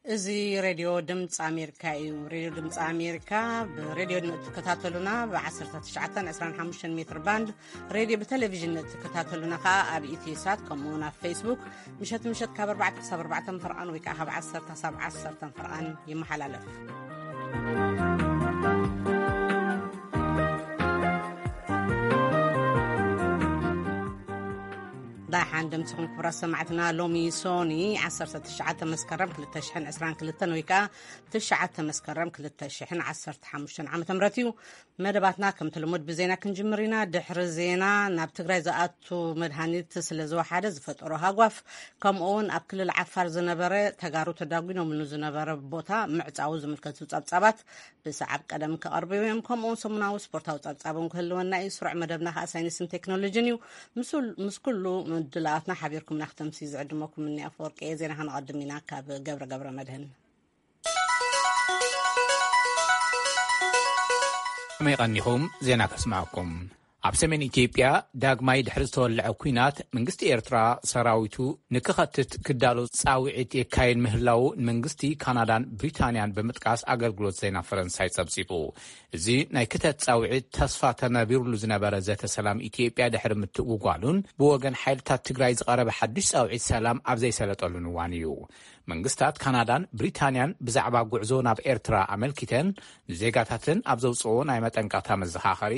እዚ ሬድዮ ድምፂ ኣሜሪካ እዩ። ሬድዮ ድምፂ ኣሜሪካ ብሬድዮ ንእትከታተሉና ብ19፣ 25 ሜትር ባንድ፣ ሬድዮ ብቴሌቪዥን ንእትከታተሉና ከዓ ኣብ ኢትዮ ሳት፣ ከምኡ እውን ኣብ ፌስቡክ ምሸት ምሸት ካብ ኣርባዕተ ክሳብ ኣርባዕተ ፈርቓን ወይ ከዓ ካብ ዓሰርተ ክሳብ ዓሰርተ ፈርቓን ይመሓላለፍ። ዳሓን ደምስኹም ክቡራት ሰማዕትና። ሎሚ ሶኒ 19 መስከረም 2022 ወይ ከዓ 9 መስከረም 2015 ዓመተ ምህረት እዩ። መደባትና ከምቲ ልሙድ ብዜና ክንጅምር ኢና። ድሕሪ ዜና ናብ ትግራይ ዝኣቱ መድሃኒት ስለ ዝወሓደ ዝፈጠሮ ሃጓፍ፣ ከምኡ እውን ኣብ ክልል ዓፋር ዝነበረ ተጋሩ ተዳጒኖምሉ ዝነበረ ቦታ ምዕፃዉ ዝምልከቱ ጸብጻባት ብሰዓብ ቀደም ክቐርቡ እዮም። ከምኡ እውን ሰሙናዊ ስፖርታዊ ጸብጻብ እውን ክህልወና እዩ። ስሩዕ መደብና ከዓ ሳይንስን ቴክኖሎጂን እዩ። ምስ ኩሉ ምድላዋትና ሓቢርኩምና ክተምሲ ዝዕድመኩም እኒ ኣፈወርቂ እየ። ዜና ከነቐድም ኢና ካብ ገብረ ገብረ መድህን። ከመይ ቀኒኹም? ዜና ከስማዕኩም። ኣብ ሰሜን ኢትዮጵያ ዳግማይ ድሕሪ ዝተወልዐ ኲናት፣ መንግስቲ ኤርትራ ሰራዊቱ ንክኸትት ክዳሎ ጻውዒት የካየድ ምህላዉ ንመንግስቲ ካናዳን ብሪታንያን ብምጥቃስ ኣገልግሎት ዜና ፈረንሳይ ጸብጺቡ። እዚ ናይ ክተት ጻውዒት ተስፋ ተነቢሩሉ ዝነበረ ዘተ ሰላም ኢትዮጵያ ድሕሪ ምትእጉጓሉን ብወገን ሓይልታት ትግራይ ዝቐረበ ሓድሽ ጻውዒት ሰላም ኣብ ዘይሰለጠሉን እዋን እዩ። መንግስታት ካናዳን ብሪታንያን ብዛዕባ ጉዕዞ ናብ ኤርትራ ኣመልኪተን ንዜጋታተን ኣብ ዘውፅኦ ናይ መጠንቀቕታ መዘኻኸሪ፣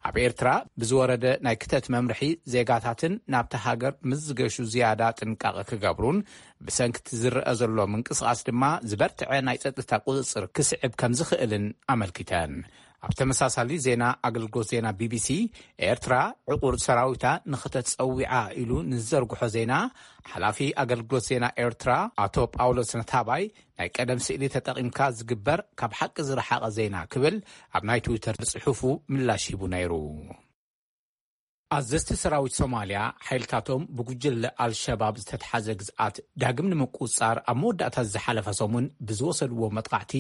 ኣብ ኤርትራ ብዝወረደ ናይ ክተት መምርሒ ዜጋታተን ናብታ ሃገር ምስ ዝገሹ ዝያዳ ጥንቃቐ ክገብሩን ብሰንኪ እቲ ዝረአ ዘሎ ምንቅስቓስ ድማ ዝበርትዐ ናይ ጸጥታ ቁጽጽር ክስዕብ ከም ዝኽእልን ኣመልኪተን። ኣብ ተመሳሳሊ ዜና፣ ኣገልግሎት ዜና ቢቢሲ፣ ኤርትራ ዕቑር ሰራዊታ ንኽተጸዊዓ ኢሉ ንዝዘርግሖ ዜና፣ ሓላፊ ኣገልግሎት ዜና ኤርትራ ኣቶ ጳውሎስ ነታባይ፣ ናይ ቀደም ስእሊ ተጠቒምካ ዝግበር ካብ ሓቂ ዝረሓቐ ዜና ክብል ኣብ ናይ ትዊተር ጽሑፉ ምላሽ ሂቡ ነይሩ። ኣዘዝቲ ሰራዊት ሶማልያ፣ ሓይልታቶም ብጉጅለ ኣልሸባብ ዝተትሓዘ ግዝኣት ዳግም ንምቁጽጻር ኣብ መወዳእታ ዝሓለፈ ሰሙን ብዝወሰድዎ መጥቃዕቲ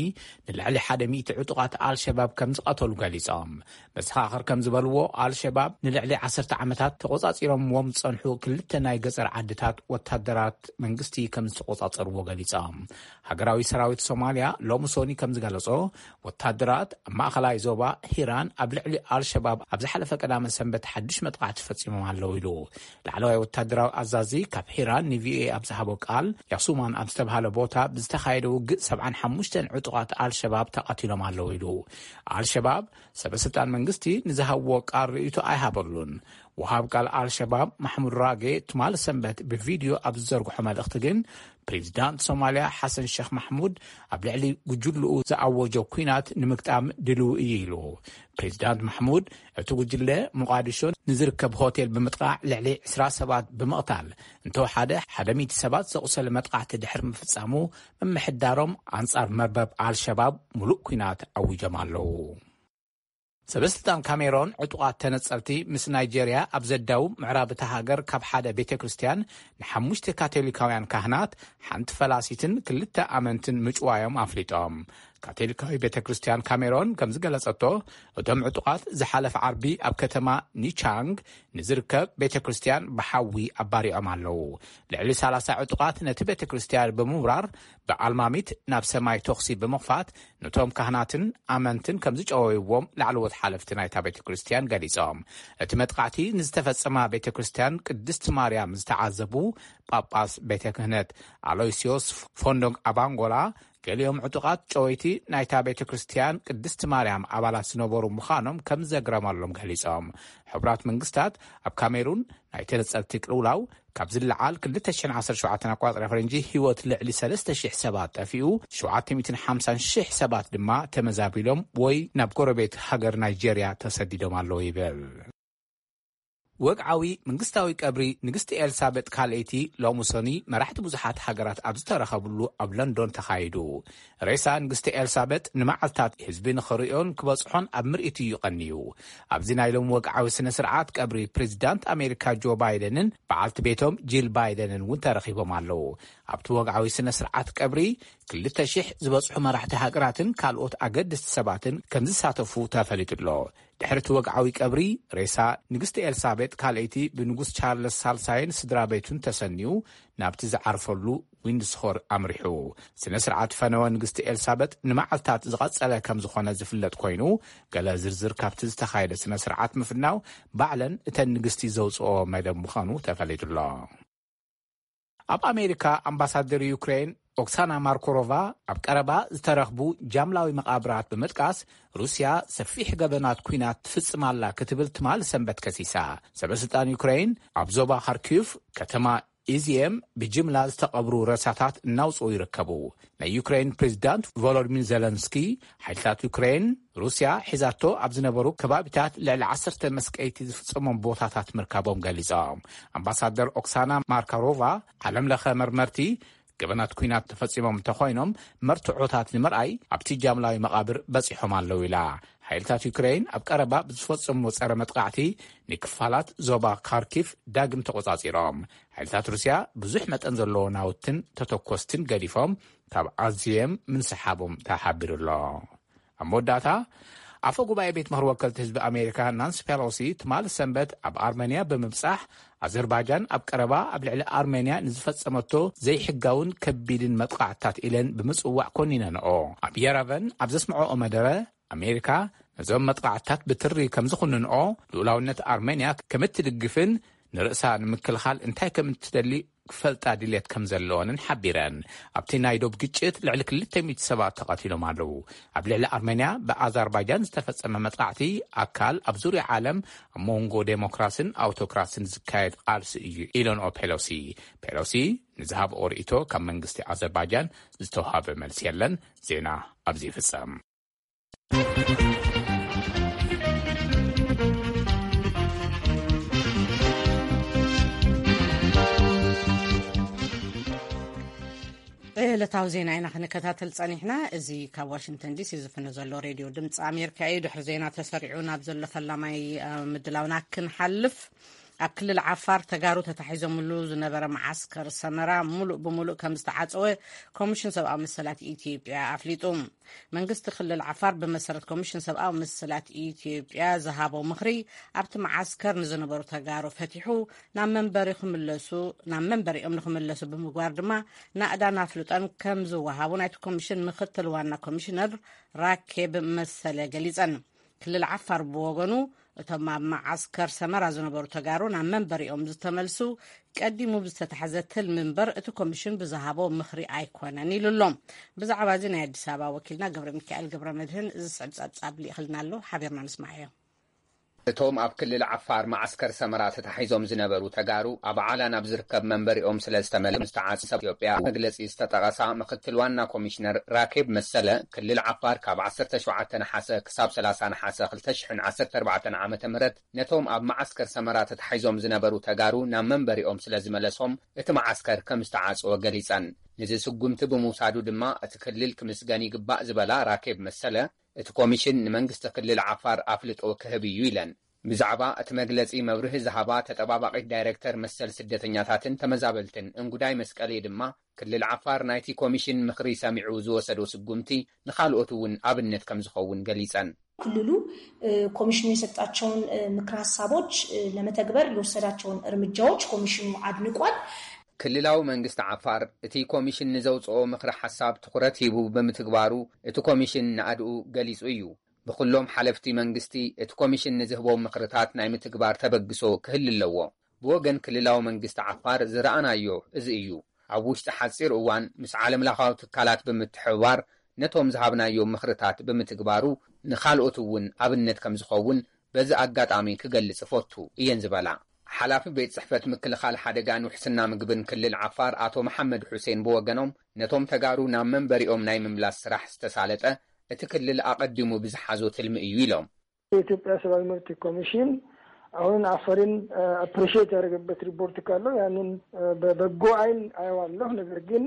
ንልዕሊ ሓደ ሚእቲ ዕጡቓት ኣልሸባብ ከም ዝቐተሉ ገሊጾም። መሰኻኽር ከም ዝበልዎ፣ ኣልሸባብ ንልዕሊ ዓሰርተ ዓመታት ተቖጻጺሮምዎም ዝጸንሑ ክልተ ናይ ገጸር ዓድታት ወታደራት መንግስቲ ከም ዝተቖጻጸርዎ ገሊጾም። ሃገራዊ ሰራዊት ሶማልያ ሎሚ ሶኒ ከም ዝገለጾ፣ ወታደራት ኣብ ማእኸላይ ዞባ ሂራን ኣብ ልዕሊ ኣልሸባብ ኣብ ዝሓለፈ ቀዳመ ሰንበት ሓድሽ መጥቃዕቲ ፈጺሞም ኣለዉ ኢሉ። ላዕለዋይ ወታደራዊ ኣዛዚ ካብ ሂራን ንቪኦኤ ኣብ ዝሃቦ ቃል፣ ያሱማን ኣብ ዝተብሃለ ቦታ ብዝተኻየደ ውግእ ሰብዓን ሓሙሽተን ዕጡቓት ኣልሸባብ ተቐቲሎም ኣለዉ ኢሉ። ኣልሸባብ ሰበ ስልጣን መንግስቲ ንዝሃብዎ ቃል ርእይቶ ኣይሃበሉን። ወሃብ ቃል ኣልሸባብ ማሕሙድ ራጌ ትማሊ ሰንበት ብቪድዮ ኣብ ዝዘርግሖ መልእኽቲ ግን፣ ፕሬዚዳንት ሶማልያ ሓሰን ሸኽ ማሕሙድ ኣብ ልዕሊ ጉጅልኡ ዝኣወጆ ኲናት ንምግጣም ድልው እዩ ኢሉ። ፕሬዚዳንት ማሕሙድ፣ እቲ ጉጅለ ሞቓዲሾ ንዝርከብ ሆቴል ብምጥቃዕ ልዕሊ ዕስራ ሰባት ብምቕታል፣ እንተወሓደ ሓደ ሚእቲ ሰባት ዘቑሰለ መጥቃዕቲ ድሕሪ ምፍጻሙ፣ ምምሕዳሮም ኣንጻር መርበብ ኣልሸባብ ሙሉእ ኲናት ኣዊጆም ኣለዉ። ሰበስልጣን ካሜሮን፣ ዕጡቓት ተነጸልቲ ምስ ናይጄርያ ኣብ ዘዳውብ ምዕራብ እታ ሃገር ካብ ሓደ ቤተ ክርስቲያን ንሓሙሽተ ካቶሊካውያን ካህናት፣ ሓንቲ ፈላሲትን ክልተ ኣመንትን ምጭዋዮም ኣፍሊጦም። ካቶሊካዊ ቤተ ክርስቲያን ካሜሮን ከም ዝገለጸቶ፣ እቶም ዕጡቓት ዝሓለፈ ዓርቢ ኣብ ከተማ ኒቻንግ ንዝርከብ ቤተ ክርስቲያን ብሓዊ ኣባሪዖም ኣለዉ። ልዕሊ ሰላሳ ዕጡቓት ነቲ ቤተ ክርስቲያን ብምውራር፣ ብኣልማሚት ናብ ሰማይ ተኹሲ ብምኽፋት፣ ነቶም ካህናትን ኣመንትን ከም ዝጨወይዎም ላዕለዎት ሓለፍቲ ናይታ ቤተ ክርስቲያን ገሊጾም። እቲ መጥቃዕቲ ንዝተፈጸማ ቤተ ክርስቲያን ቅድስቲ ማርያም ዝተዓዘቡ ጳጳስ ቤተ ክህነት ኣሎይስዮስ ፎንዶግ ኣባንጎላ፣ ገሊኦም ዕጡቓት ጨወይቲ ናይታ ቤተ ክርስቲያን ቅድስቲ ማርያም ኣባላት ዝነበሩ ምዃኖም ከም ዘግረመሎም ገሊጾም። ሕቡራት መንግስታት ኣብ ካሜሩን ናይ ተነጸልቲ ቅልውላው ካብ ዝለዓል ክልተ ሽሕን ዓሰርተ ሸውዓተን ኣቋጽራ ፈረንጂ ህይወት ልዕሊ ሰለስተ ሽሕ ሰባት ጠፊኡ፣ ሸውዓተ ሚእትን ሓምሳን ሽሕ ሰባት ድማ ተመዛቢሎም ወይ ናብ ጎረቤት ሃገር ናይጄርያ ተሰዲዶም ኣለዉ ይብል። ወግዓዊ መንግስታዊ ቀብሪ ንግስቲ ኤልሳቤጥ ካልኣይቲ ሎሚ ሰኒ መራሕቲ ብዙሓት ሃገራት ኣብ ዝተረኸብሉ ኣብ ለንዶን ተኻይዱ። ሬሳ ንግስቲ ኤልሳቤጥ ንመዓልታት ህዝቢ ንኽርእዮን ክበጽሖን ኣብ ምርኢት እዩ ቀንዩ። ኣብዚ ናይ ሎሚ ወግዓዊ ስነ ስርዓት ቀብሪ ፕሬዚዳንት ኣሜሪካ ጆ ባይደንን በዓልቲ ቤቶም ጂል ባይደንን እውን ተረኺቦም ኣለዉ። ኣብቲ ወግዓዊ ስነ ስርዓት ቀብሪ ክልተ ሽሕ ዝበጽሑ መራሕቲ ሃገራትን ካልኦት ኣገደስቲ ሰባትን ከም ዝሳተፉ ተፈሊጡ ኣሎ። ድሕሪ እቲ ወግዓዊ ቀብሪ፣ ሬሳ ንግስቲ ኤልሳቤጥ ካልኣይቲ ብንጉስ ቻርለስ ሳልሳይን ስድራ ቤቱን ተሰንዩ ናብቲ ዝዓርፈሉ ዊንድስሆር ኣምሪሑ። ስነ ስርዓት ፈነወ ንግስቲ ኤልሳቤጥ ንመዓልታት ዝቐጸለ ከም ዝኾነ ዝፍለጥ ኮይኑ፣ ገለ ዝርዝር ካብቲ ዝተኻየደ ስነ ስርዓት ምፍናው ባዕለን እተን ንግስቲ ዘውፅኦ መደብ ምዃኑ ተፈሊጡ ኣሎ። ኣብ ኣሜሪካ ኣምባሳደር ዩክሬን ኦክሳና ማርኮሮቫ ኣብ ቀረባ ዝተረኽቡ ጃምላዊ መቓብራት ብምጥቃስ፣ ሩስያ ሰፊሕ ገበናት ኲናት ትፍጽም ኣላ ክትብል ትማል ሰንበት ከሲሳ። ሰበስልጣን ዩክሬን ኣብ ዞባ ካርኪቭ ከተማ ኢዝየም ብጅምላ ዝተቐብሩ ረሳታት እናውፅኡ ይርከቡ። ናይ ዩክሬን ፕሬዚዳንት ቮሎዲሚር ዜለንስኪ፣ ሓይልታት ዩክሬን ሩስያ ሒዛቶ ኣብ ዝነበሩ ከባቢታት ልዕሊ ዓሰርተ መስቀይቲ ዝፍጸሞም ቦታታት ምርካቦም ገሊጾም። ኣምባሳደር ኦክሳና ማርካሮቫ፣ ዓለም ለኸ መርመርቲ ገበናት ኲናት ተፈጺሞም እንተኾይኖም፣ መርትዖታት ንምርኣይ ኣብቲ ጃምላዊ መቓብር በጺሖም ኣለዉ ኢላ። ሓይልታት ዩክሬን ኣብ ቀረባ ብዝፈጸምዎ ጸረ መጥቃዕቲ፣ ንክፋላት ዞባ ካርኪቭ ዳግም ተቖጻጺሮም። ሓይልታት ሩስያ ብዙሕ መጠን ዘለዎ ናውትን ተተኮስትን ገዲፎም ካብ ኣዝየም ምንስሓቦም ተሓቢሩ ኣሎ። ኣብ መወዳእታ፣ ኣፈ ጉባኤ ቤት ምኽሪ ወከልቲ ህዝቢ ኣሜሪካ ናንሲ ፔሎሲ ትማል ሰንበት ኣብ ኣርመንያ ብምብጻሕ፣ ኣዘርባጃን ኣብ ቀረባ ኣብ ልዕሊ ኣርሜንያ ንዝፈጸመቶ ዘይሕጋውን ከቢድን መጥቃዕትታት ኢለን ብምጽዋዕ ኮኒነንኦ። ኣብ የረቨን ኣብ ዘስምዐኦ መደረ፣ ኣሜሪካ ነዞም መጥቃዕትታት ብትሪ ከም ዝኹንንኦ፣ ልኡላውነት ኣርሜንያ ከም እትድግፍን ንርእሳ ንምክልኻል እንታይ ከም እትደሊ ክፈልጣ ድልየት ከም ዘለወንን ሓቢረን። ኣብቲ ናይ ዶብ ግጭት ልዕሊ ክልተ ሚእቲ ሰባት ተቐቲሎም ኣለዉ። ኣብ ልዕሊ ኣርሜንያ ብኣዘርባጃን ዝተፈጸመ መጥቃዕቲ ኣካል ኣብ ዙርያ ዓለም ኣብ መንጎ ዴሞክራስን ኣውቶክራስን ዝካየድ ቃልሲ እዩ ኢለንኦ ፔሎሲ። ፔሎሲ ንዝሃብኦ ርእይቶ ካብ መንግስቲ ኣዘርባጃን ዝተውሃበ መልሲ የለን። ዜና ኣብዚ ይፍጸም። ዕለታዊ ዜና ኢና ክንከታተል ጸኒሕና። እዚ ካብ ዋሽንግተን ዲሲ ዝፍኖ ዘሎ ሬድዮ ድምፂ ኣሜሪካ እዩ። ድሕሪ ዜና ተሰሪዑ ናብ ዘሎ ፈላማይ፣ እ፣ ምድላውና ክንሓልፍ፣ ኣብ ክልል ዓፋር ተጋሩ ተታሒዞምሉ ዝነበረ መዓስከር ሰመራ ሙሉእ ብሙሉእ ከም ዝተዓጸወ ኮሚሽን ሰብኣዊ መሰላት ኢትዮጵያ ኣፍሊጡ። መንግስቲ ክልል ዓፋር ብመሰረት ኮሚሽን ሰብኣዊ መሰላት ኢትዮጵያ ዝሃቦ ምኽሪ፣ ኣብቲ መዓስከር ንዝነበሩ ተጋሩ ፈቲሑ ናብ መንበሪ ክምለሱ፣ ናብ መንበሪኦም ንክምለሱ ብምግባር ድማ ናእዳን ኣፍልጦን ከም ዝወሃቡ ናይቲ ኮሚሽን ምክትል ዋና ኮሚሽነር ራኬብ መሰለ ገሊጸን። ክልል ዓፋር ብወገኑ፣ እቶም ኣብ መዓስከር ሰመራ ዝነበሩ ተጋሩ ናብ መንበሪኦም ዝተመልሱ ቀዲሙ ብዝተታሕዘ ትልሚ እምበር እቲ ኮሚሽን ብዝሃቦ ምኽሪ ኣይኮነን ኢሉ ኣሎ። ብዛዕባ እዚ ናይ ኣዲስ ኣበባ ወኪልና ገብረ ሚካኤል ገብረ መድህን ዝስዕብ ጸብጻብ ልኢኽልና ኣሎ፣ ሓቢርና ንስማዓዮ። እቶም ኣብ ክልል ዓፋር መዓስከር ሰመራ ተታሒዞም ዝነበሩ ተጋሩ ኣብ ዓላ ናብ ዝርከብ መንበሪኦም ስለ ዝተመለ ዝተዓጽ ሰብ ኢትዮጵያ መግለጺ ዝተጠቐሳ ምክትል ዋና ኮሚሽነር ራኬብ መሰለ፣ ክልል ዓፋር ካብ ዓሰርተ ሸውዓተ ነሓሰ ክሳብ ሰላሳ ነሓሰ ክልተ ሽሕን ዓሰርተ ኣርባዕተን ዓመተ ምህረት ነቶም ኣብ መዓስከር ሰመራ ተታሒዞም ዝነበሩ ተጋሩ ናብ መንበሪኦም ስለ ዝመለሶም እቲ መዓስከር ከም ዝተዓጽወ ገሊጸን። ንዚ ስጉምቲ ብምውሳዱ ድማ እቲ ክልል ክምስገን ይግባእ ዝበላ ራኬብ መሰለ፣ እቲ ኮሚሽን ንመንግስቲ ክልል ዓፋር ኣፍልጦ ክህብ እዩ ኢለን። ብዛዕባ እቲ መግለጺ መብርሂ ዝሃባ ተጠባባቒት ዳይሬክተር መሰል ስደተኛታትን ተመዛበልትን እንጉዳይ መስቀሌ ድማ፣ ክልል ዓፋር ናይቲ ኮሚሽን ምኽሪ ሰሚዑ ዝወሰዶ ስጉምቲ ንኻልኦት እውን ኣብነት ከም ዝኸውን ገሊጸን። ክልሉ፣ እ፣ ኮሚሽኑ የሰጣቸውን፣ እ፣ ምክረ ሀሳቦች፣ እ፣ ለመተግበር የወሰዳቸውን እርምጃዎች ኮሚሽኑ አድንቋል። ክልላዊ መንግስቲ ዓፋር እቲ ኮሚሽን ንዘውጽኦ ምኽሪ ሓሳብ ትኹረት ሂቡ ብምትግባሩ እቲ ኮሚሽን ናእድኡ ገሊጹ እዩ። ብኹሎም ሓለፍቲ መንግስቲ እቲ ኮሚሽን ንዝህቦም ምኽርታት ናይ ምትግባር ተበግሶ ክህሊ ኣለዎ። ብወገን ክልላዊ መንግስቲ ዓፋር ዝረኣናዮ እዚ እዩ። ኣብ ውሽጢ ሓጺር እዋን ምስ ዓለምለኻዊ ትካላት ብምትሕብባር ነቶም ዝሃብናዮም ምኽርታት ብምትግባሩ ንኻልኦት እውን ኣብነት ከም ዝኸውን በዚ ኣጋጣሚ ክገልጽ እፈቱ እየን ዝበላ ሓላፊ ቤት ጽሕፈት ምክልኻል ሓደጋን ውሕስና ምግብን ክልል ዓፋር ኣቶ መሓመድ ሑሴን ብወገኖም፣ ነቶም ተጋሩ ናብ መንበሪኦም ናይ ምምላስ ስራሕ ዝተሳለጠ እቲ ክልል ኣቐዲሙ ብዝሓዞ ትልሚ እዩ ኢሎም። የኢትዮጵያ ሰብኣዊ መብት ኮሚሽን አሁን አፈርን፣ እ፣ አፕሪሺየት ያደረገበት ሪፖርት ካለው ያንን፣ እ፣ በበጎ አይን አየዋለሁ። ነገር ግን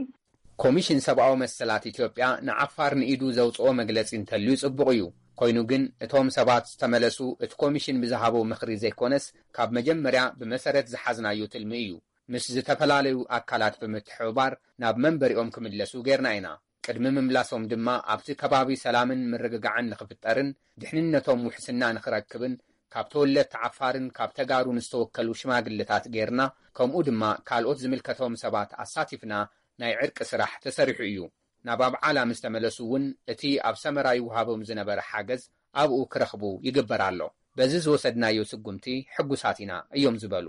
ኮሚሽን ሰብኣዊ መሰላት ኢትዮጵያ ንዓፋር ንኢዱ ዘውጽኦ መግለጺ እንተልዩ ጽቡቕ እዩ። ኮይኑ ግን እቶም ሰባት ዝተመለሱ እቲ ኮሚሽን ብዝሃቦ ምኽሪ ዘይኮነስ ካብ መጀመርያ ብመሰረት ዝሓዝናዮ ትልሚ እዩ። ምስ ዝተፈላለዩ ኣካላት ብምትሕብባር ናብ መንበሪኦም ክምለሱ ጌርና ኢና። ቅድሚ ምምላሶም ድማ ኣብቲ ከባቢ ሰላምን ምርግጋዕን ንኽፍጠርን ድሕንነቶም ውሕስና ንኽረክብን ካብ ተወለድቲ ዓፋርን ካብ ተጋሩን ዝተወከሉ ሽማግለታት ጌርና፣ ከምኡ ድማ ካልኦት ዝምልከቶም ሰባት ኣሳቲፍና ናይ ዕርቂ ስራሕ ተሰሪሑ እዩ። ናብ ኣብዓላ ምስ ተመለሱ እውን እቲ ኣብ ሰመራ ይወሃቦም ዝነበረ ሓገዝ ኣብኡ ክረኽቡ ይግበር ኣሎ። በዚ ዝወሰድናዮ ስጉምቲ ሕጉሳት ኢና እዮም ዝበሉ።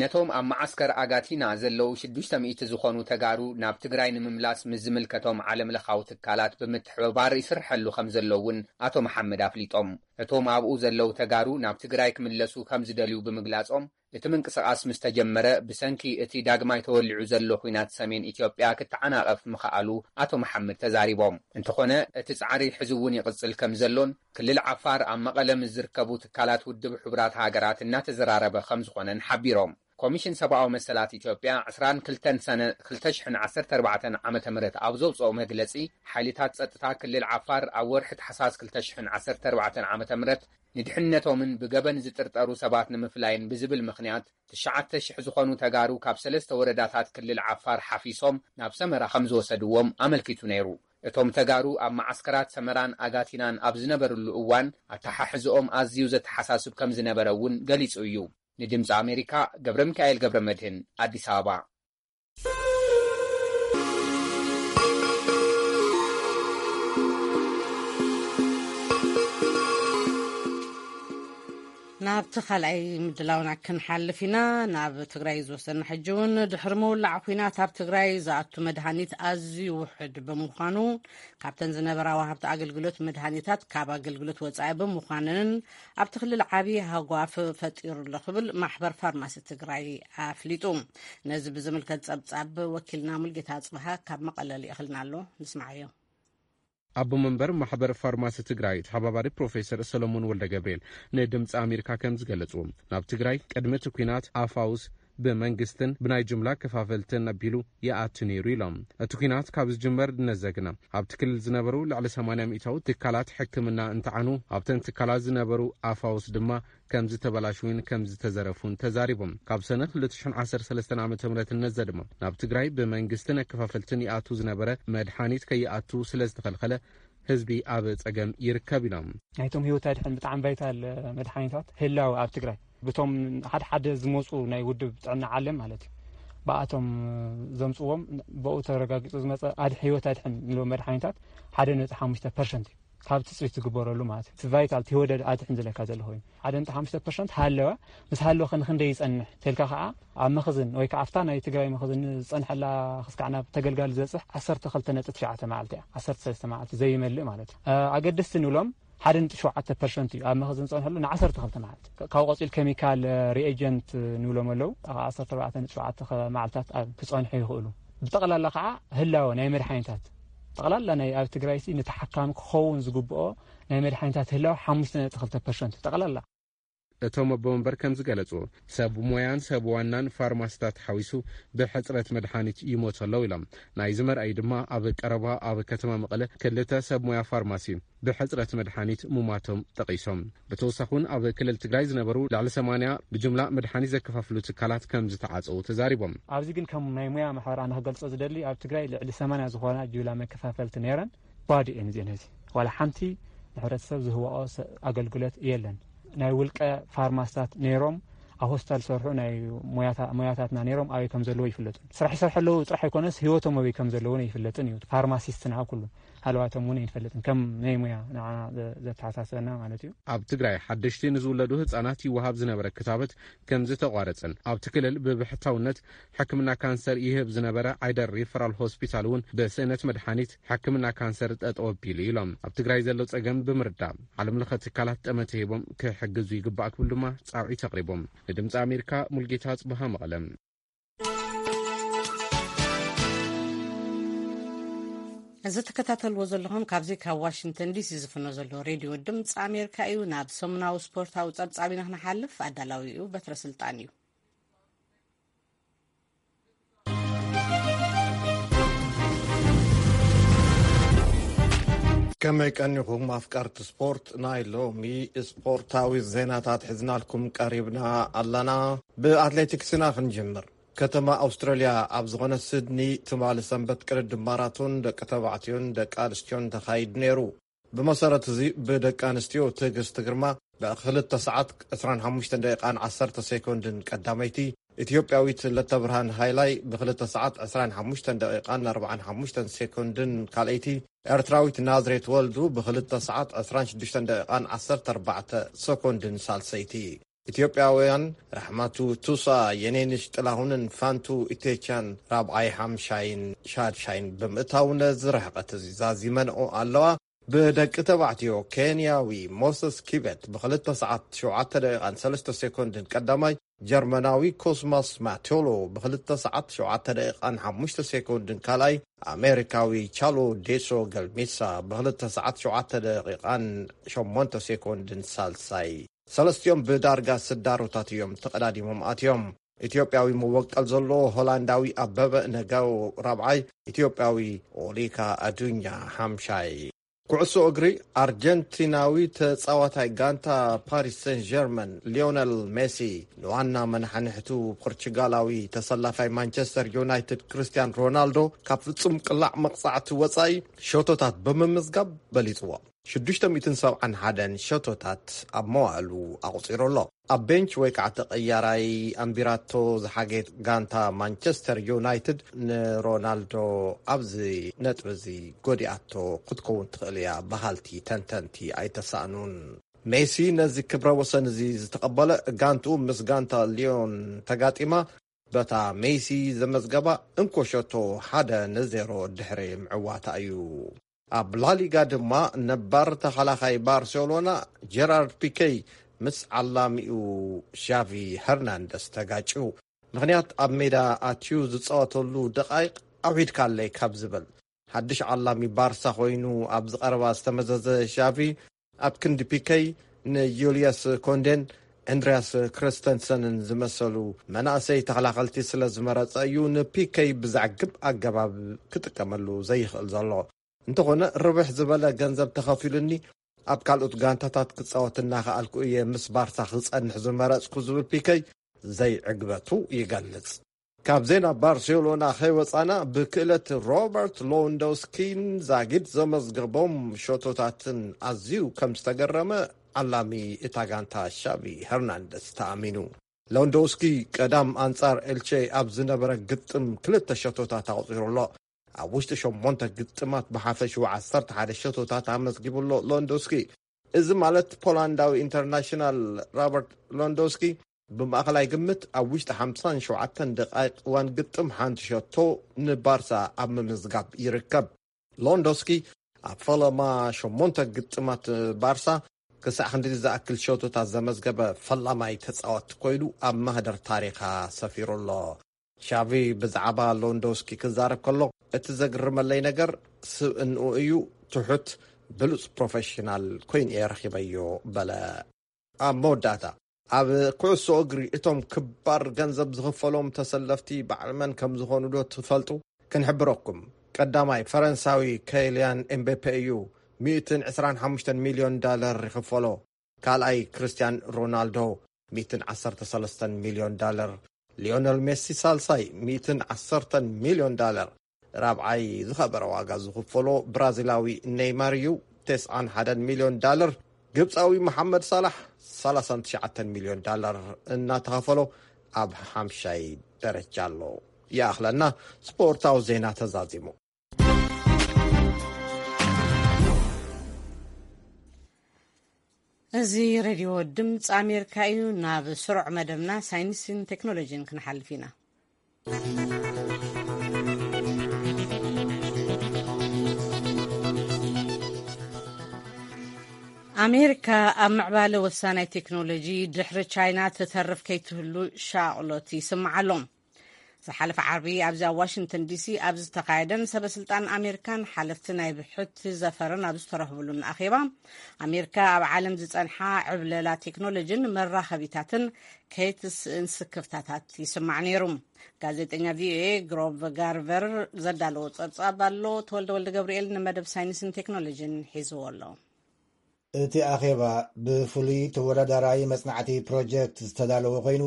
ነቶም ኣብ መዓስከር ኣጋቲና ዘለዉ ሽዱሽተ ሚእቲ ዝኾኑ ተጋሩ ናብ ትግራይ ንምምላስ ምስ ዝምልከቶም ዓለም ለኻዊ ትካላት ብምትሕብባር ይስርሐሉ ከም ዘሎ እውን ኣቶ መሓመድ ኣፍሊጦም። እቶም ኣብኡ ዘለዉ ተጋሩ ናብ ትግራይ ክምለሱ ከም ዝደልዩ ብምግላጾም፣ እቲ ምንቅስቓስ ምስ ተጀመረ ብሰንኪ እቲ ዳግማይ ተወሊዑ ዘሎ ኲናት ሰሜን ኢትዮጵያ ክተዓናቐፍ ምኽኣሉ ኣቶ መሓመድ ተዛሪቦም። እንተኾነ እቲ ጻዕሪ ሕዚ እውን ይቕጽል ከም ዘሎን ክልል ዓፋር ኣብ መቐለ ምስ ዝርከቡ ትካላት ውድብ ሕቡራት ሃገራት እናተዘራረበ ከም ዝኾነን ሓቢሮም። ኮሚሽን ሰብኣዊ መሰላት ኢትዮጵያ ዕስራን ክልተን ሰነ ክልተ ሽሕን ዓሰርተ ኣርባዕተን ዓመተ ምህረት ኣብ ዘውፅኦ መግለፂ፣ ሓይልታት ፀጥታ ክልል ዓፋር ኣብ ወርሒ ታሕሳስ ክልተ ሽሕን ዓሰርተ ኣርባዕተን ዓመተ ምህረት ንድሕነቶምን ብገበን ዝጥርጠሩ ሰባት ንምፍላይን ብዝብል ምኽንያት ትሽዓተ ሽሕ ዝኾኑ ተጋሩ ካብ ሰለስተ ወረዳታት ክልል ዓፋር ሓፊሶም ናብ ሰመራ ከም ዝወሰድዎም ኣመልኪቱ ነይሩ። እቶም ተጋሩ ኣብ መዓስከራት ሰመራን ኣጋቲናን ኣብ ዝነበርሉ እዋን ኣተሓሕዝኦም ኣዝዩ ዘተሓሳስብ ከም ዝነበረ እውን ገሊጹ እዩ። ንድምፂ ኣሜሪካ ገብረ ሚካኤል ገብረ መድህን ኣዲስ ኣበባ። ናብቲ ካልኣይ ምድላውና ክንሓልፍ ኢና። ናብ ትግራይ ዝወስደና ሕጂ እውን ድሕሪ ምውላዕ ኲናት ኣብ ትግራይ ዝኣቱ መድሃኒት ኣዝዩ ውሑድ ብምዃኑ ካብተን ዝነበራ ወሃብቲ ኣገልግሎት መድሃኒታት ካብ ኣገልግሎት ወፃኢ ብምዃነንን ኣብቲ ክልል ዓብዪ ሃጓፍ ፈጢሩ ኣሎ ክብል ማሕበር ፋርማሲ ትግራይ ኣፍሊጡ። ነዚ ብዝምልከት ፀብፃብ ወኪልና ሙልጌታ ኣፅብሃ ካብ መቐለ ልኢኽልና ኣሎ። ንስማዓዮ። ኣቦ መንበር ማሕበር ፋርማሲ ትግራይ ተሓባባሪ ፕሮፌሰር ሰሎሞን ወልደ ገብርኤል ንድምፂ ኣሜሪካ ከም ዝገለፁ፣ ናብ ትግራይ ቅድሚ እቲ ኲናት ኣፋውስ ብመንግስትን ብናይ ጅምላ ከፋፈልትን ኣቢሉ ይኣቱ ነይሩ ኢሎም። እቲ ኲናት ካብ ዝጅመር ነዘግና ኣብቲ ክልል ዝነበሩ ልዕሊ ሰማንያ ሚእታዊ ትካላት ሕክምና እንትዓኑ፣ ኣብተን ትካላት ዝነበሩ ኣፋውስ ድማ ከም ዝተበላሽውን ከም ዝተዘረፉን ተዛሪቦም። ካብ ሰነ ክልተ ሽሕን ዓሰርተ ሰለስተን ዓመተ ምህረት ነዘ ድማ ናብ ትግራይ ብመንግስትን ኣከፋፈልትን ይኣቱ ዝነበረ መድሓኒት ከይኣቱ ስለ ዝተኸልኸለ ህዝቢ ኣብ ጸገም ይርከብ ኢሎም። ናይቶም ህይወት ኣድሕን ብጣዕሚ ቫይታል መድሓኒታት ህላወ ኣብ ትግራይ ብቶም ሓደ ሓደ ዝመፁ ናይ ውድብ ጥዕና ዓለም ማለት እዩ። ብኣቶም ዘምፅዎም ብኡ ተረጋጊፁ ዝመፀ ኣድ-፣ ህይወት ኣድሕን ንብሎ መድሓኒታት ሓደ ነጥቢ ሓሙሽተ ፐርሰንት እዩ። ካብ ትፅቢት ዝግበረሉ ማለት እዩ። እቲ ቫይታል እቲ ህይወት ኣድሕን ዝለካ ዘሎ ኮይኑ ሓደ ነጥቢ ሓሙሽተ ፐርሰንት ሃለወ። ምስ ሃለወ ከ ንክንደይ ይፀንሕ ተልካ ከዓ ኣብ መኽዝን ወይ ከዓ ኣብታ ናይ ትግራይ መኽዝን ዝፀንሐላ ክስካዕ ናብ ተገልጋሊ ዝበፅሕ ዓሰርተ ክልተ ነጥቢ ትሽዓተ መዓልቲ እያ። ዓሰርተ ሰለስተ መዓልቲ ዘይመልእ ማለት እዩ። እ፣ ኣገደስቲ ንብሎም ሓደ ነጥቢ ሸውዓተ ፐርሰንት እዩ ኣብ መኽዝን ዝፀንሐሉ ን ዓሰርተ ክልተ መዓልቲ። ካብኡ ቀፂል ኬሚካል፣ እ፣ ሪኤጀንት ንብሎም ኣለዉ። ኣብ ዓሰርተ ኣርባዕተ ነጥቢ ሸውዓተ መዓልታት ኣብ ክፀንሑ ይኽእሉ። ብጠቕላላ ከዓ ህላወ ናይ መድሓኒታት ጠቕላላ ናይ ኣብ ትግራይ ሲ ንተሓካሚ ክኸውን ዝግብኦ ናይ መድሓኒታት ህላወ ሓሙሽተ ነጥቢ ክልተ ፐርሰንት ጠቕላላ። እቶም ኣቦ መንበር ከም ዝገለጹ፣ ሰብ ሞያን ሰብ ዋናን ፋርማሲታት ሓዊሱ ብሕጽረት መድሓኒት ይሞቱ ኣለዉ ኢሎም። ናይዚ መርኣይ ድማ ኣብ ቀረባ ኣብ ከተማ መቐለ ክልተ ሰብ ሞያ ፋርማሲ ብሕጽረት መድሓኒት ሙማቶም ጠቒሶም። ብተወሳኺ እውን ኣብ ክልል ትግራይ ዝነበሩ ልዕሊ ሰማንያ ብጅምላ መድሓኒት ዘከፋፍሉ ትካላት ከም ዝተዓጸዉ ተዛሪቦም። ኣብዚ ግን ከም ናይ ሞያ ማሕበር ኣነ ክገልጾ ዝደሊ ኣብ ትግራይ ልዕሊ ሰማንያ ዝኾና ጅምላ መከፋፈልቲ ነይረን። ባዶ እየን እዚአን። ሕዚ ዋላ ሓንቲ ንሕብረተሰብ ዝህወኦ ሰ-፣ ኣገልግሎት የለን። ናይ ውልቀ ፋርማስታት ነይሮም ኣብ ሆስፒታል ዝሰርሑ ናይ ሞያታ-፣ ሞያታትና ነይሮም ኣበይ ከም ዘለዎ ይፍለጡ። ስራሕ ይሰርሑ ኣለዉ ጥራሕ ኣይኮነስ ህይወቶም ኣበይ ከም ዘለውን ኣይፍለጥን እዩ። ፋርማሲስትና ኩሉ ሃለዋቶም እውን ኣይንፈልጥን ከም ናይ ሞያ ንዓና ዘ-፣ ዘተሓሳስበና ማለት እዩ። ኣብ ትግራይ ሓደሽቲ ንዝውለዱ ህጻናት ይወሃብ ዝነበረ ክታበት ከም ዝተቋረጸን ኣብቲ ክልል ብብሕታውነት ሕክምና ካንሰር ይህብ ዝነበረ ዓይደር ሪፈራል ሆስፒታል እውን ብስእነት መድሓኒት ሕክምና ካንሰር ጠጠው ኣቢሉ ኢሎም። ኣብ ትግራይ ዘሎ ጸገም ብምርዳእ ዓለም ለኸ ትካላት ጠመተ ሂቦም ክሕግዙ ይግባእ ክብል ድማ ጻውዒት ኣቕሪቦም። ንድምፂ ኣሜሪካ ሙልጌታ ጽብሃ መቐለም። እዚ ትከታተልዎ ዘለኹም ካብዚ ካብ ዋሽንግተን ዲሲ ዝፍኖ ዘሎ ሬድዮ ድምፂ ኣሜሪካ እዩ። ናብ ሰሙናዊ ስፖርታዊ ጸብጻብ ኢና ክንሓልፍ። ኣዳላዊኡ በትረ ስልጣን እዩ። ከመይ ቀኒኹም ኣፍቀርቲ ስፖርት? ናይ ሎሚ ስፖርታዊ ዜናታት ሒዝናልኩም ቀሪብና ኣለና። ብኣትሌቲክስና ክንጅምር። ከተማ ኣውስትራልያ ኣብ ዝኾነ ሲድኒ ትማሊ ሰንበት ቅድድም ማራቶን ደቂ ተባዕትዮን ደቂ ኣንስትዮን ተኻይዱ ነይሩ። ብመሰረት እዚ ብደቂ ኣንስትዮ ትዕግስቲ ግርማ ብክልተ ሰዓት ዕስራን ሓሙሽተን ደቂቓን ዓሰርተ ሴኮንድን ቀዳመይቲ፣ ኢትዮጵያዊት ለተብርሃን ሃይላይ ብክልተ ሰዓት ዕስራን ሓሙሽተን ደቂቓን ኣርባዓን ሓሙሽተን ሴኮንድን ካልኣይቲ፣ ኤርትራዊት ናዝሬት ወልዱ ብክልተ ሰዓት ዕስራን ሽዱሽተን ደቂቓን ዓሰርተ ኣርባዕተ ሴኮንድን ሳልሰይቲ። ኢትዮጵያውያን ራሕማቱ ቱሳ፣ የኔንሽ ጥላሁንን ፋንቱ ኢቴቻን ራብዓይ፣ ሓምሻይን ሻድሻይን ብምእታው ነዚ ርሕቀት እዚ ዛዚመንኦ ኣለዋ። ብደቂ ተባዕትዮ ኬንያዊ ሞሰስ ኪበት ብክልተ ሰዓት ሸውዓተ ደቂቓን ሰለስተ ሴኮንድን ቀዳማይ፣ ጀርመናዊ ኮስማስ ማቴሎ ብክልተ ሰዓት ሸውዓተ ደቂቓን ሓሙሽተ ሴኮንድን ካልኣይ፣ ኣሜሪካዊ ቻሎ ዴሶ ገልሚሳ ብክልተ ሰዓት ሸውዓተ ደቂቓን ሸሞንተ ሴኮንድን ሳልሳይ። ሰለስቲኦም ብዳርጋ ስዳሮታት እዮም ተቐዳዲሞም ኣትዮም። ኢትዮጵያዊ መወቀል ዘለዎ ሆላንዳዊ ኣበበ ነጋው ራብዓይ፣ ኢትዮጵያዊ ኦሊካ ኣዱኛ ሓምሻይ። ኩዕሶ እግሪ፣ ኣርጀንቲናዊ ተጻዋታይ ጋንታ ፓሪስ ሰን ጀርመን ሊዮነል ሜሲ ንዋና መናሕንሕቱ ፖርቹጋላዊ ተሰላፋይ ማንቸስተር ዩናይትድ ክርስቲያን ሮናልዶ ካብ ፍጹም ቅላዕ መቕጻዕቲ ወጻኢ ሸቶታት ብምምዝጋብ በሊጽዎ። ሽዱሽተ ሚእትን ሰብዓን ሓደን ሸቶታት ኣብ መዋእሉ ኣቑጺሩ ኣሎ። ኣብ ቤንች ወይ ከዓ ተቐያራይ ኣንቢራቶ ዝሓጌት ጋንታ ማንቸስተር ዩናይትድ ንሮናልዶ ኣብዚ ነጥቢ እዚ ጎዲኣቶ ክትከውን ትኽእል እያ በሃልቲ ተንተንቲ ኣይተሳእኑን። ሜሲ ነዚ ክብረ ወሰን እዚ ዝተቐበለ ጋንትኡ ምስ ጋንታ ሊዮን ተጋጢማ በታ ሜሲ ዘመዝገባ እንኮ ሸቶ ሓደ ንዜሮ ድሕሪ ምዕዋታ እዩ። ኣብ ላሊጋ ድማ ነባር ተኸላኻይ ባርሴሎና ጀራርድ ፒኬ ምስ ዓላሚኡ ሻቪ ሄርናንደስ ተጋጭዩ። ምኽንያት ኣብ ሜዳ ኣትዩ ዝጻወተሉ ደቓይቕ ኣውሒድካለይ ካብ ዝብል ሓድሽ ዓላሚ ባርሳ ኮይኑ ኣብዚ ቀረባ ዝተመዘዘ ሻቪ ኣብ ክንዲ ፒኬ ንዩልያስ ኮንዴን ኣንድሪያስ ክሪስተንሰንን ዝመሰሉ መናእሰይ ተኸላኸልቲ ስለ ዝመረጸ እዩ ንፒኬ ብዘዕግብ ኣገባብ ክጥቀመሉ ዘይኽእል ዘሎ። እንተኾነ ርብሕ ዝበለ ገንዘብ ተኸፊሉኒ ኣብ ካልኦት ጋንታታት ክጻወት እናኸኣልኩ እየ ምስ ባርሳ ክጸንሕ ዝመረጽኩ ዝብል ፒኬ ዘይዕግበቱ ይገልጽ። ካብ ዜና ባርሴሎና ከይወጻና ብክእለት ሮበርት ሎንዶስኪን ዛጊድ ዘመዝገቦም ሸቶታትን ኣዝዩ ከም ዝተገረመ ዓላሚ እታ ጋንታ ሻቪ ሄርናንደስ ተኣሚኑ። ሎንዶስኪ ቀዳም ኣንጻር ኤልቼ ኣብ ዝነበረ ግጥም ክልተ ሸቶታት ኣቑጺሩ ኣሎ። ኣብ ውሽጢ ሸሞንተ ግጥማት ብሓፈሽኡ ዓሰርተ ሓደ ሸቶታት ኣመዝጊቡ ኣሎ ሎንዶስኪ። እዚ ማለት ፖላንዳዊ ኢንተርናሽናል ሮበርት ሎንዶስኪ ብማእኸላይ ግምት ኣብ ውሽጢ ሓምሳን ሸውዓተን ደቓይቕ እዋን ግጥም ሓንቲ ሸቶ ንባርሳ ኣብ ምምዝጋብ ይርከብ። ሎንዶስኪ ኣብ ፈለማ ሸሞንተ ግጥማት ባርሳ ክሳዕ ክንዲ ዝኣክል ሸቶታት ዘመዝገበ ፈላማይ ተጻወቲ ኮይኑ ኣብ ማህደር ታሪኻ ሰፊሩ ኣሎ። ሻቪ ብዛዕባ ሎንዶስኪ ክዛረብ ከሎ፣ "እቲ ዘግርመለይ ነገር ስብእንኡ እዩ፣ ትሑት፣ ብሉጽ ፕሮፌሽናል ኮይኑ እየ ረኺበዮ" በለ። ኣብ መወዳእታ፣ ኣብ ኩዕሶ እግሪ እቶም ክባር ገንዘብ ዝኽፈሎም ተሰለፍቲ በዓል መን ከም ዝኾኑ ዶ ትፈልጡ? ክንሕብረኩም፣ ቀዳማይ ፈረንሳዊ ከይልያን ኤምቤፔ እዩ፣ ሚእትን ዕስራን ሓሙሽተን ሚልዮን ዳለር ይኽፈሎ። ካልኣይ ክርስቲያን ሮናልዶ፣ ሚእትን ዓሰርተ ሰለስተን ሚልዮን ዳለር። ሊዮነል ሜሲ ሳልሳይ፣ ሚእትን ዓሰርተን ሚልዮን ዳለር። ራብዓይ ዝኸበረ ዋጋ ዝኽፈሎ ብራዚላዊ ኔይማር እዩ፣ ተስዓን ሓደን ሚልዮን ዳለር። ግብፃዊ መሓመድ ሳላሕ፣ ሰላሳን ትሽዓተን ሚልዮን ዳለር እናተኸፈሎ ኣብ ሓምሻይ ደረጃ ኣሎ። ይኣኽለና፣ ስፖርታዊ ዜና ተዛዚሙ። እዚ ሬድዮ ድምፂ ኣሜሪካ እዩ። ናብ ስሩዕ መደብና ሳይንስን ቴክኖሎጂን ክንሓልፍ ኢና። ኣሜሪካ ኣብ ምዕባለ ወሳናይ ቴክኖሎጂ ድሕሪ ቻይና ተተርፍ ከይትህሉ ሻቕሎት ይስምዓ ኣሎ። ዝሓለፈ ዓርቢ ኣብዚ ኣብ ዋሽንግተን ዲሲ ኣብ ዝተኻየደን ሰበ ስልጣን ኣሜሪካን ሓለፍቲ ናይ ብሕቲ ዘፈርን ኣብ ዝተረኽብሉን ኣኼባ፣ ኣሜሪካ ኣብ ዓለም ዝጸንሓ ዕብለላ ቴክኖሎጂን መራኸቢታትን ከይትስእን ስክፍታታት ይስማዕ ነይሩ። ጋዜጠኛ ቪኦኤ ግሮቭ ጋርቨር ዘዳለዎ ጸብጻብ ኣሎ። ተወልደ ወልደ ገብርኤል ንመደብ ሳይንስን ቴክኖሎጂን ሒዝዎ ኣሎ። እቲ ኣኼባ ብፍሉይ ተወዳዳራይ መጽናዕቲ ፕሮጀክት ዝተዳለወ ኮይኑ፣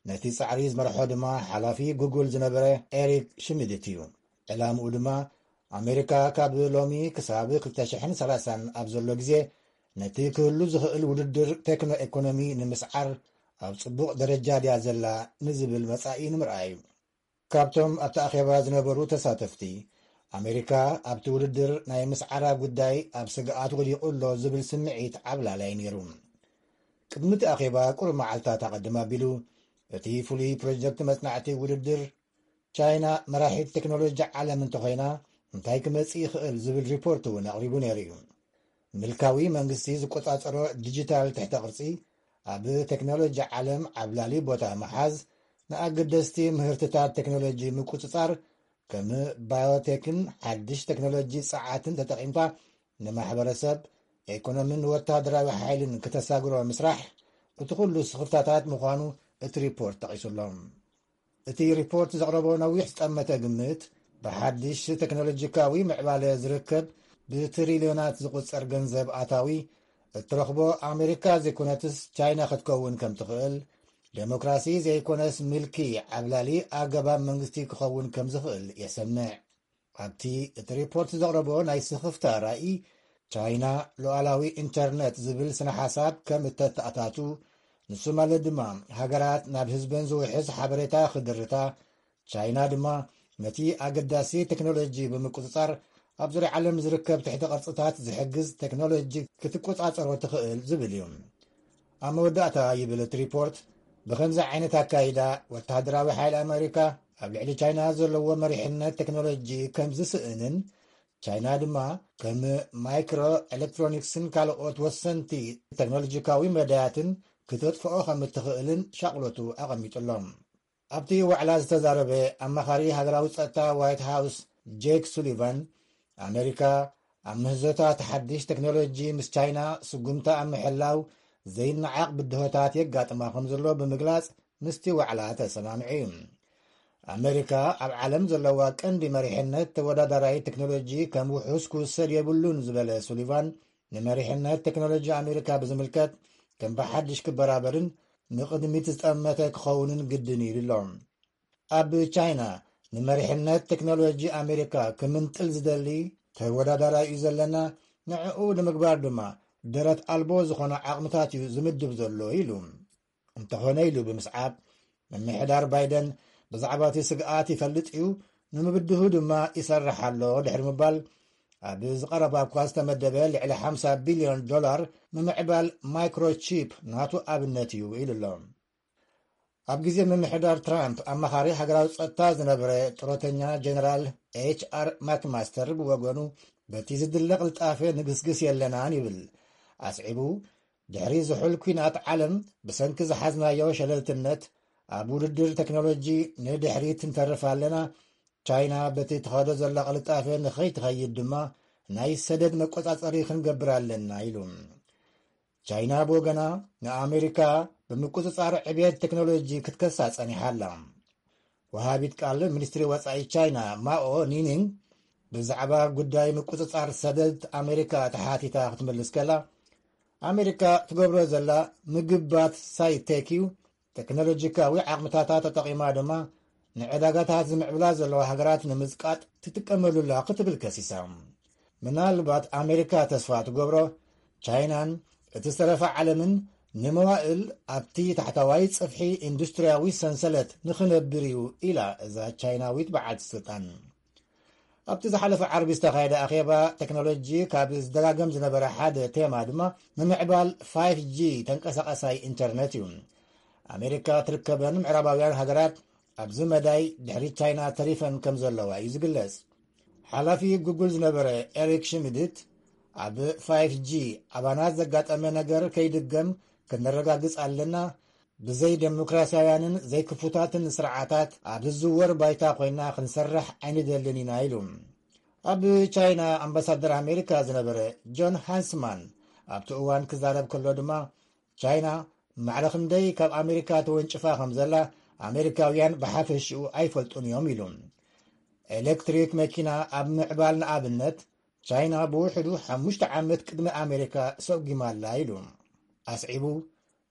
ነቲ ጻዕሪ ዝመርሖ ድማ ሓላፊ ጉግል ዝነበረ ኤሪክ ሽሚድት እዩ። ዕላምኡ ድማ ኣሜሪካ ካብ ሎሚ ክሳብ ክልተ ሽሕን ሰላሳን ኣብ ዘሎ ግዜ ነቲ ክህሉ ዝኽእል ውድድር ቴክኖ ኤኮኖሚ ንምስዓር ኣብ ጽቡቕ ደረጃ ድያ ዘላ ንዝብል መጻኢ ንምርኣይ እዩ። ካብቶም ኣብቲ ኣኼባ ዝነበሩ ተሳተፍቲ፣ ኣሜሪካ ኣብቲ ውድድር ናይ ምስዓራ ጉዳይ ኣብ ስግኣት ወዲቑ ኣሎ ዝብል ስምዒት ዓብላላይ ነይሩ። ቅድሚ እቲ ኣኼባ ቁሩብ መዓልታት ኣቐድም ኣቢሉ፣ እቲ ፍሉይ ፕሮጀክት መጽናዕቲ ውድድር፣ ቻይና መራሒት ቴክኖሎጂ ዓለም እንተኾይና እንታይ ክመጽእ ይኽእል ዝብል ሪፖርት እውን ኣቕሪቡ ነይሩ እዩ። ምልካዊ መንግስቲ ዝቆጻጸሮ ዲጂታል ትሕተ ቅርጺ፣ ኣብ ቴክኖሎጂ ዓለም ዓብላሊ ቦታ ምሓዝ፣ ንኣገደስቲ ምህርትታት ቴክኖሎጂ ምቁጽጻር፣ ከም ባዮቴክን ሓድሽ ቴክኖሎጂ ጸዓትን ተጠቒምካ ንማሕበረሰብ፣ ኤኮኖምን ወታደራዊ ሓይልን ክተሳግሮ ምስራሕ፣ እቲ ኩሉ ስኽፍታታት ምዃኑ እቲ ሪፖርት ጠቒሱ ኣሎ። እቲ ሪፖርት ዘቕረቦ ነዊሕ ዝጠመተ ግምት፣ ብሓድሽ ቴክኖሎጂካዊ ምዕባለ ዝርከብ ብትሪልዮናት ዝቑጸር ገንዘብ ኣታዊ፣ እትረኽቦ ኣሜሪካ ዘይኮነትስ ቻይና ክትከውን ከም ትኽእል፣ ዴሞክራሲ ዘይኮነስ ምልኪ ዓብላሊ ኣገባብ መንግስቲ ክኸውን ከም ዝኽእል የሰምዕ። ኣብቲ እቲ ሪፖርት ዘቕረቦ ናይ ስኽፍታ ራእይ፣ ቻይና ሉዓላዊ ኢንተርነት ዝብል ስነ ሓሳብ ከም እተተኣታቱ፣ ንሱ ማለት ድማ ሃገራት ናብ ህዝበን ዝውሕዝ ሓበሬታ ክድርታ፣ ቻይና ድማ ነቲ ኣገዳሲ ቴክኖሎጂ ብምቁጽጻር ኣብ ዙርያ ዓለም ዝርከብ ትሕተ ቅርጽታት ዝሕግዝ ቴክኖሎጂ ክትቆጻጸሮ ትኽእል ዝብል እዩ። ኣብ መወዳእታ ይብል እቲ ሪፖርት፣ ብኸምዚ ዓይነት ኣካይዳ ወተሃደራዊ ሓይሊ ኣሜሪካ ኣብ ልዕሊ ቻይና ዘለዎ መሪሕነት ቴክኖሎጂ ከም ዝስእንን፣ ቻይና ድማ ከም ማይክሮ ኤሌክትሮኒክስን ካልኦት ወሰንቲ ቴክኖሎጂካዊ መዳያትን ክተጥፍኦ ከም እትኽእልን ሻቕሎቱ ኣቐሚጡ ኣሎ። ኣብቲ ዋዕላ ዝተዛረበ ኣማኻሪ ሃገራዊ ጸጥታ ዋይት ሃውስ ጄክ ሱሊቫን፣ ኣሜሪካ ኣብ ምህዞታት ሓድሽ ቴክኖሎጂ ምስ ቻይና ስጉምታ ኣብ ምሕላው ዘይነዓቕ ብድሆታት የጋጥማ ከም ዘሎ ብምግላጽ፣ ምስቲ ዋዕላ ተሰማሚዑ እዩ። ኣሜሪካ ኣብ ዓለም ዘለዋ ቀንዲ መሪሕነት ተወዳዳራይ ቴክኖሎጂ ከም ውሑስ ክውሰድ የብሉን ዝበለ ሱሊቫን፣ ንመሪሕነት ቴክኖሎጂ ኣሜሪካ ብዝምልከት ከም ብሓድሽ ክበራበርን ንቕድሚት ዝጠመተ ክኸውንን ግድን እዩ ኢሉ ኣሎ። ኣብ ቻይና ንመሪሕነት ቴክኖሎጂ ኣሜሪካ ክምንጥል ዝደሊ ተወዳዳራይ እዩ ዘለና፣ ንዕኡ ንምግባር ድማ ደረት ኣልቦ ዝኾነ ዓቕምታት እዩ ዝምድብ ዘሎ ኢሉ። እንተኾነ ኢሉ ብምስዓብ፣ ምምሕዳር ባይደን ብዛዕባ እቲ ስግኣት ይፈልጥ እዩ፣ ንምብድሁ ድማ ይሰርሕ ኣሎ ድሕሪ ምባል፣ ኣብ ዝቐረባ እኳ ዝተመደበ ልዕሊ ሓምሳ ቢልዮን ዶላር ምምዕባል ማይክሮቺፕ ናቱ ኣብነት እዩ ኢሉ ኣሎ። ኣብ ግዜ ምምሕዳር ትራምፕ ኣማኻሪ ሃገራዊ ጸጥታ ዝነበረ ጡረተኛ ጀነራል ኤች ኣር ማክማስተር ብወገኑ፣ በቲ ዝድለ ቅልጣፈ ንግስግስ የለናን ይብል። ኣስዒቡ፣ ድሕሪ ዝሑል ኲናት ዓለም ብሰንኪ ዝሓዝናዮ ሸለልትነት ኣብ ውድድር ቴክኖሎጂ ንድሕሪት ንተርፍ ኣለና፣ ቻይና በቲ ትኸዶ ዘላ ቅልጣፈ ንኸይትኸይድ ድማ ናይ ሰደድ መቆጻጸሪ ክንገብር ኣለና ኢሉ። ቻይና ብወገና ንኣሜሪካ ብምቁጽጻር ዕብየት ቴክኖሎጂ ክትከሳ ጸኒሓ ኣላ። ወሃቢት ቃል ሚኒስትሪ ወጻኢ ቻይና ማኦ ኒኒንግ ብዛዕባ ጉዳይ ምቁጽጻር ሰደድ ኣሜሪካ ተሓቲታ ክትምልስ ከላ፣ ኣሜሪካ ትገብሮ ዘላ ምግባት ሳይቴክ እዩ፣ ቴክኖሎጂካዊ ዓቕምታታ ተጠቒማ ድማ ንዕዳጋታት ዝምዕብላ ዘለዋ ሃገራት ንምጽቃጥ ትጥቀመሉላ ክትብል ከሲሳ። ምናልባት ኣሜሪካ ተስፋ ትገብሮ፣ ቻይናን እቲ ዝተረፈ ዓለምን ንመዋእል ኣብቲ ታሕተዋይ ጽፍሒ ኢንዱስትርያዊ ሰንሰለት ንኽነብር እዩ ኢላ እዛ ቻይናዊት በዓልቲ ስልጣን። ኣብቲ ዝሓለፈ ዓርቢ ዝተኻየደ ኣኼባ ቴክኖሎጂ ካብ ዝደጋገም ዝነበረ ሓደ ቴማ ድማ ምምዕባል ፋይፍ ጂ ተንቀሳቐሳይ ኢንተርነት እዩ። ኣሜሪካ ትርከበን ምዕራባውያን ሃገራት ኣብዚ መዳይ ድሕሪ ቻይና ተሪፈን ከም ዘለዋ እዩ ዝግለጽ። ሓላፊ ጉግል ዝነበረ ኤሪክ ሽሚድት፣ ኣብ ፋይፍ ጂ ኣባና ዘጋጠመ ነገር ከይድገም ክነረጋግጽ ኣለና፣ ብዘይ ዴሞክራሲያውያንን ዘይክፉታትን ስርዓታት ኣብ ዝዝወር ባይታ ኮይና ክንሰርሕ ኣይንደልን ኢና ኢሉ። ኣብ ቻይና ኣምባሳደር ኣሜሪካ ዝነበረ ጆን ሃንስማን ኣብቲ እዋን ክዛረብ ከሎ ድማ፣ ቻይና ማዕረ ክንደይ ካብ ኣሜሪካ ተወንጭፋ ከም ዘላ ኣሜሪካውያን ብሓፈሽኡ ኣይፈልጡን እዮም ኢሉ። ኤሌክትሪክ መኪና ኣብ ምዕባል ንኣብነት ቻይና ብውሕዱ ሓሙሽተ ዓመት ቅድሚ ኣሜሪካ ሰጒማ ኣላ ኢሉ። ኣስዒቡ፣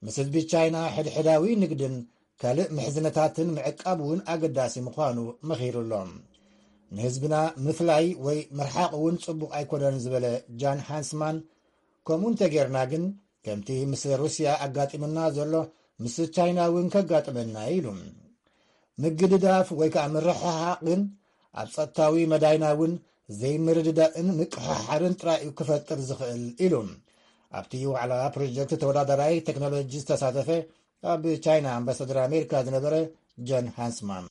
ምስ ህዝቢ ቻይና ሕድሕዳዊ ንግድን ካልእ ምሕዝነታትን ምዕቃብ እውን ኣገዳሲ ምዃኑ መኺሩ ኣሎ። ንህዝብና ምፍላይ ወይ ምርሓቕ እውን ጽቡቕ ኣይኮነን ዝበለ ጃን ሃንስማን፣ ከምኡ እንተጌርና ግን ከምቲ ምስ ሩስያ ኣጋጢሙና ዘሎ ምስ ቻይና እውን ከጋጥመና እዩ ኢሉ። ምግድዳፍ ወይ ከዓ ምርሕሓቕ ግን ኣብ ጸጥታዊ መዳይና እውን ዘይምርድዳእን ምቅሕሓርን ጥራይ እዩ ክፈጥር ዝኽእል ኢሉ። ኣብቲ ዋዕላ ፕሮጀክት ተወዳዳራይ ቴክኖሎጂ ዝተሳተፈ ኣብ ቻይና ኣምባሳደር ኣሜሪካ ዝነበረ ጆን ሃንስማን።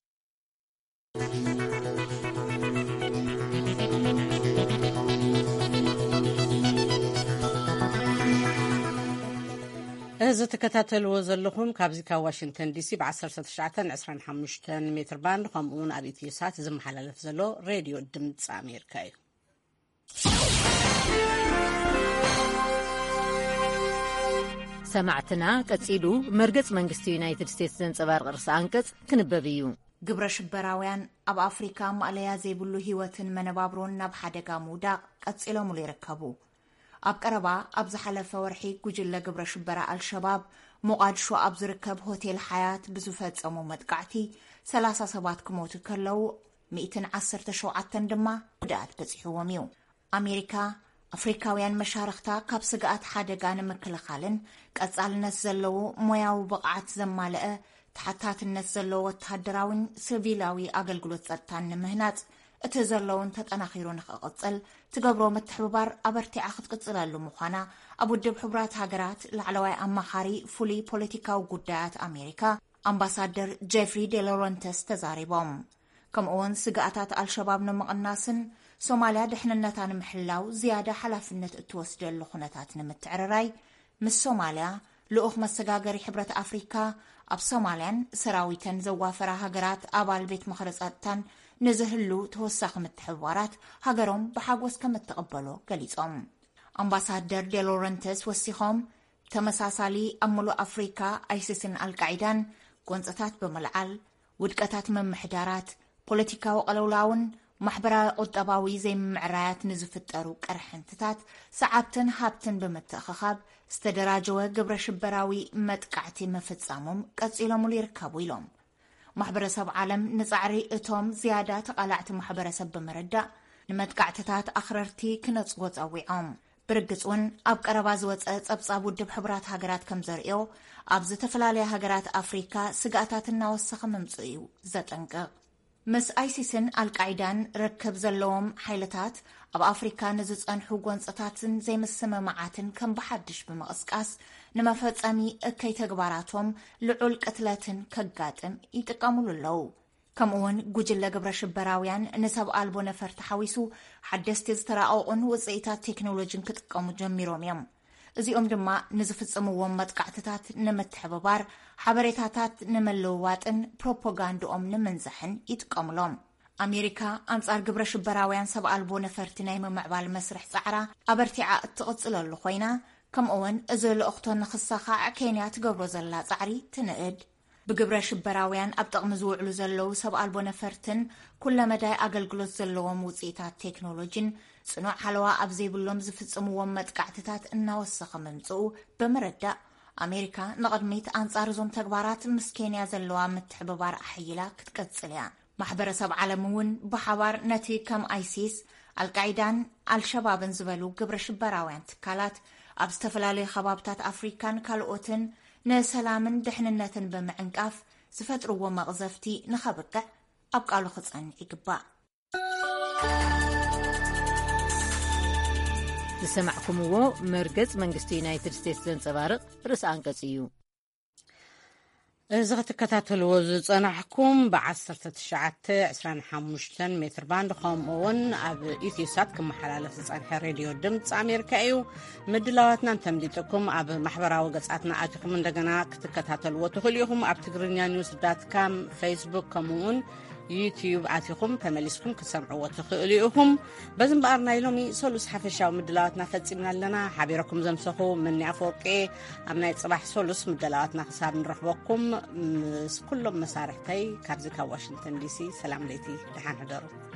እዚ ትከታተልዎ ዘለኹም ካብዚ ካብ ዋሽንግተን ዲሲ ብ19 25 ሜትር ባንድ ከምኡ እውን ኣብ ኢትዮ ሳት ዝመሓላለፍ ዘሎ ሬድዮ ድምፂ ኣሜሪካ እዩ። ሰማዕትና፣ ቀጺሉ መርገጽ መንግስቲ ዩናይትድ ስቴትስ ዘንጸባርቕ ርእሰ ኣንቀጽ ክንበብ እዩ። ግብረ ሽበራውያን ኣብ ኣፍሪካ ማእለያ ዘይብሉ ህይወትን መነባብሮን ናብ ሓደጋ ምውዳቕ ቀጺሎምሉ ይርከቡ። ኣብ ቀረባ ኣብ ዝሓለፈ ወርሒ ጉጅለ ግብረ ሽበራ ኣልሸባብ ሞቓድሾ ኣብ ዝርከብ ሆቴል ሓያት ብዝፈጸሞ መጥቃዕቲ 30 ሰባት ክሞቱ ከለዉ፣ 117 ድማ ጉድኣት በጺሕዎም እዩ። ኣሜሪካ፣ ኣፍሪካውያን መሻርኽታ ካብ ስግኣት ሓደጋ ንምክልኻልን ቀጻልነት ዘለዎ ሞያዊ ብቕዓት ዘማልአ ተሓታትነት ዘለዎ ወተሃደራዊን ሲቪላዊ ኣገልግሎት ጸጥታን ንምህናጽ፣ እቲ ዘለውን ተጠናኺሩ ንኽቕጽል ትገብሮ ምትሕብባር ኣበርቲዓ ክትቅጽለሉ ምዃና ኣብ ውድብ ሕቡራት ሃገራት ላዕለዋይ ኣማኻሪ ፍሉይ ፖለቲካዊ ጉዳያት ኣሜሪካ ኣምባሳደር ጄፍሪ ዴሎረንተስ ተዛሪቦም። ከምኡውን ስግኣታት ኣልሸባብ ንምቕናስን ሶማልያ ድሕንነታ ንምሕላው ዝያዳ ሓላፍነት እትወስደሉ ኩነታት ንምትዕርራይ፣ ምስ ሶማልያ ልኡኽ መሰጋገሪ ሕብረት ኣፍሪካ ኣብ ሶማልያን ሰራዊተን ዘዋፈራ ሃገራት ኣባል ቤት ምኽሪ ጸጥታን ንዝህሉ ተወሳኺ ምትሕብባራት ሃገሮም ብሓጎስ ከም እትቕበሎ ገሊጾም። ኣምባሳደር ዴሎረንተስ ወሲኾም፣ ተመሳሳሊ ኣብ ምሉእ ኣፍሪካ ኣይሲስን ኣልቃዒዳን ጎንፅታት ብምልዓል፣ ውድቀታት ምምሕዳራት፣ ፖለቲካዊ ቅልውላውን ማሕበራዊ ቁጠባዊ ዘይምምዕራያት ንዝፍጠሩ ቅርሕንትታት ሰዓብትን ሃብትን ብምትእኽኻብ ዝተደራጀወ ግብረ ሽበራዊ መጥቃዕቲ ምፍጻሞም ቀጺሎምሉ ይርከቡ ኢሎም። ማሕበረሰብ ዓለም ንጻዕሪ እቶም ዝያዳ ተቓላዕቲ ማሕበረሰብ ብምርዳእ ንመጥቃዕትታት ኣኽረርቲ ክነጽጎ ጸዊዖም። ብርግጽ እውን ኣብ ቀረባ ዝወጸ ጸብጻብ ውድብ ሕቡራት ሃገራት ከም ዘርእዮ ኣብ ዝተፈላለያ ሃገራት ኣፍሪካ ስግኣታት እናወሰኸ ምምጽኡ እዩ ዘጠንቅቕ። ምስ ኣይሲስን ኣልቃይዳን ርክብ ዘለዎም ሓይልታት ኣብ ኣፍሪካ ንዝጸንሑ ጎንጽታትን ዘይምስምማዓትን ከም ብሓድሽ ብምቕስቃስ ንመፈጸሚ እከይ ተግባራቶም ልዑል ቅትለትን ከጋጥም ይጥቀሙሉ ኣለዉ። ከምኡውን ጉጅለ ግብረ ሽበራውያን ንሰብ ኣልቦ ነፈርቲ ሓዊሱ ሓደስቲ ዝተራቐቑን ውፅኢታት ቴክኖሎጂን ክጥቀሙ ጀሚሮም እዮም። እዚኦም ድማ ንዝፍጽምዎም መጥቃዕትታት ንምትሕብባር፣ ሓበሬታታት ንምልውዋጥን ፕሮፓጋንድኦም ንምንዛሕን ይጥቀሙሎም። ኣሜሪካ ኣንጻር ግብረ ሽበራውያን ሰብ ኣልቦ ነፈርቲ ናይ ምምዕባል መስርሕ ጻዕራ ኣበርቲዓ እትቕጽለሉ ኮይና፣ ከምኡውን እዚ ልእኽቶ ንኽሳኻዕ ኬንያ ትገብሮ ዘላ ጻዕሪ ትንእድ። ብግብረ ሽበራውያን ኣብ ጥቕሚ ዝውዕሉ ዘለዉ ሰብ ኣልቦ ነፈርትን ኩለመዳይ ኣገልግሎት ዘለዎም ውፅኢታት ቴክኖሎጂን ጽኑዕ ሓለዋ ኣብ ዘይብሎም ዝፍጽምዎም መጥቃዕትታት እናወሰኸ ምምጽኡ ብምርዳእ፣ ኣሜሪካ ንቕድሚት ኣንጻር እዞም ተግባራት ምስ ኬንያ ዘለዋ ምትሕብባር ኣሕይላ ክትቀጽል እያ። ማሕበረሰብ ዓለም እውን ብሓባር ነቲ ከም ኣይሲስ፣ ኣልቃይዳን ኣልሸባብን ዝበሉ ግብረ ሽበራውያን ትካላት ኣብ ዝተፈላለዩ ከባብታት ኣፍሪካን ካልኦትን ንሰላምን ድሕንነትን ብምዕንቃፍ ዝፈጥርዎ መቕዘፍቲ ንኸብቅዕ ኣብ ቃሉ ክጸንዕ ይግባእ። ዝሰማዕኩምዎ መርገጽ መንግስቲ ዩናይትድ ስቴትስ ዘንጸባርቕ ርእሰ ኣንቀጽ እዩ። እዚ ክትከታተልዎ ዝጸናሕኩም ብ19 25 ሜትር ባንድ ከምኡ እውን ኣብ ኢትዮሳት ክመሓላለፍ ዝጸንሐ ሬድዮ ድምፂ ኣሜሪካ እዩ። ምድላዋትና እንተምሊጥኩም ኣብ ማሕበራዊ ገጻትና ኣቲኹም እንደገና ክትከታተልዎ ትኽእሉ ኢኹም። ኣብ ትግርኛ ኒውስ ዳት ካም፣ ፌስቡክ ከምኡ እውን ዩትዩብ ኣቲኹም ተመሊስኩም ክትሰምዕዎ ትኽእሉ ኢኹም። በዚ እምበኣር ናይ ሎሚ ሰሉስ ሓፈሻዊ ምድላዋትና ፈጺምና ኣለና። ሓቢረኩም ዘምሰኹ መኒ ኣፈወርቂ። ኣብ ናይ ጽባሕ ሰሉስ ምድላዋትና ክሳብ ንረኽበኩም ምስ ኩሎም መሳርሕተይ ካብዚ ካብ ዋሽንግተን ዲሲ ሰላም ለይቲ፣ ደሓን ሕደሩ።